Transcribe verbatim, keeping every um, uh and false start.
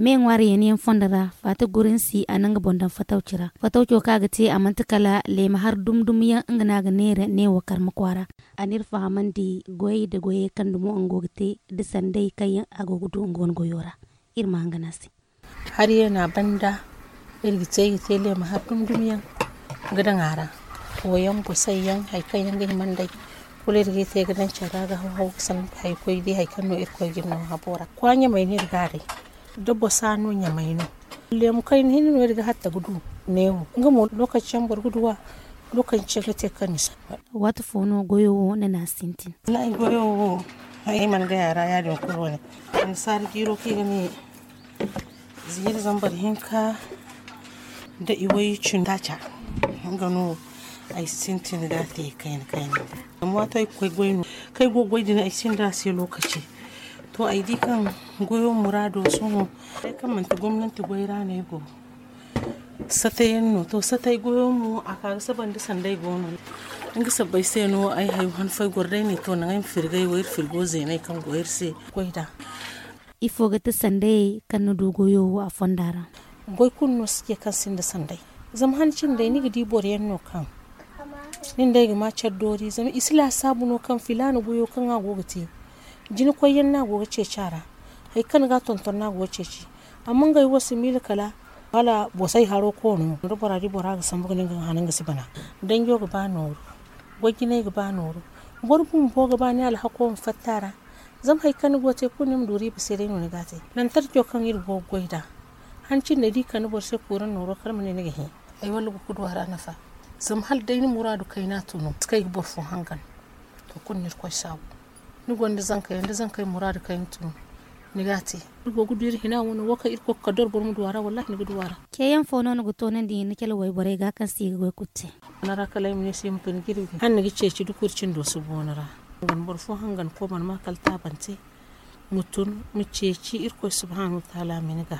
Me ŋwaari yaŋ yaŋ fondo ra, faati gurinsi a na nga boŋ daŋ fatawci ra. Fatawco kaŋ a ga te a manti kala leema har dum-dum yaŋ nga no a ga neera neewo karma kwaara. A n'iri fahamandi goyey nda goyey kaŋ dumo nga go ga te nda sanday kaŋ yaŋ a go ga du nga wane goyo ra. Iri ma hangan a se. Hari yaŋ a banda, iri ga te iri ga te leema har dum-dum yaŋ ga daŋ a ra. Fooyaŋ bosay yaŋ hari kaŋ yaŋ ga hima nd'ey, kulu iri ga iri te ga daŋ care ra ga haw-haw ga sanda hari koy day hari kaŋ no irkoy ga iri no habo ra kwaaɲamey no iri ga a day. Da bosa no ɲamay no. Leemu kayna hinne no iri ga hatta ga du neewo nga mo lookaci yaŋ boro ga du a. Lookaci yaŋ ga te kaŋ ni si. Waati fo no goyo wo ni n'a sintin? Wallahi goyo wo ay mana gay a ra ya- din kulu wane. Annasaara jiiro kaŋ i ga ne ziiri zambar hinka nda iway cindi taaca. Nga no ay sintin ga a te kayna kayna. Zama waato ay ga koy goy no kaŋ ay go ga goy din ay sinda a se lookaci. To ay di kaŋ goyo muraado sohõ ay kaŋ manti gomnanti goy ra no ay go. Satayaŋ no to satay goyo mo a ka ga saba nda sanday go no. Nga sabbay se no ay hayo han fo ay goro day ne to naŋ ay ma firgay wo iri firgo zeenay kaŋ go iri se. Goy da ifo ga ti sandayey kaŋ ni du goyo wo a fonda ra? Goy kulu no si ce kaŋ sinda sanday. Zama han cindey ni ga di boro yaŋ no kaŋ nin day ga ma care doori zama i si laasaabu no kaŋ filaana goyo kaŋ a go ga te. Jina koy yaŋ no a go ga ceeci a ra. Hari kaŋ ni ga a tonton no a go ga ceeci. Amma ngey wo si miila kala hala bosay haro koono da bora di bora ga sambu ga ne nga ga hana nga si bana. Danjo ga ba nooru. Goy jinay ga ba nooru. Boro bumbo ga ba ni alhako ma fatta a ra. Zama hari kaŋ ni go ga te kulu ni ma du riiba se day no ni ga a te. Lantarco kaŋ iri go ga goy nd'a han cindey da i kande boro se kuuraŋ nooro kala ma ne ni ga hẽ. Ay walla go ga du a ra nafa. Zama hala day ni muraadu kayna tun no si kay ga boro fo hangan. To kulu no irkoy saabu. Ni gonda zankey yaŋ da zankey muraadu kayna tun no ni ga a te. Iri go ga du iri hina wano wo kaŋ irkoy ga kala doro boro ma du a ra wallahi ni ga du a ra. Ceeyaŋ fo no ni ga toonandi ni cale wayborey ga kaŋ se i ga goy kulu te? Ni ra kala ay ma ne se i ma tun jirbi hala ni ga ceeci da kuri cindo si booni ra. Boro fo hangan ko mana ma kala taabante. Ma tun ma ceeci irkoy subhaanahu wataala ma ni ga.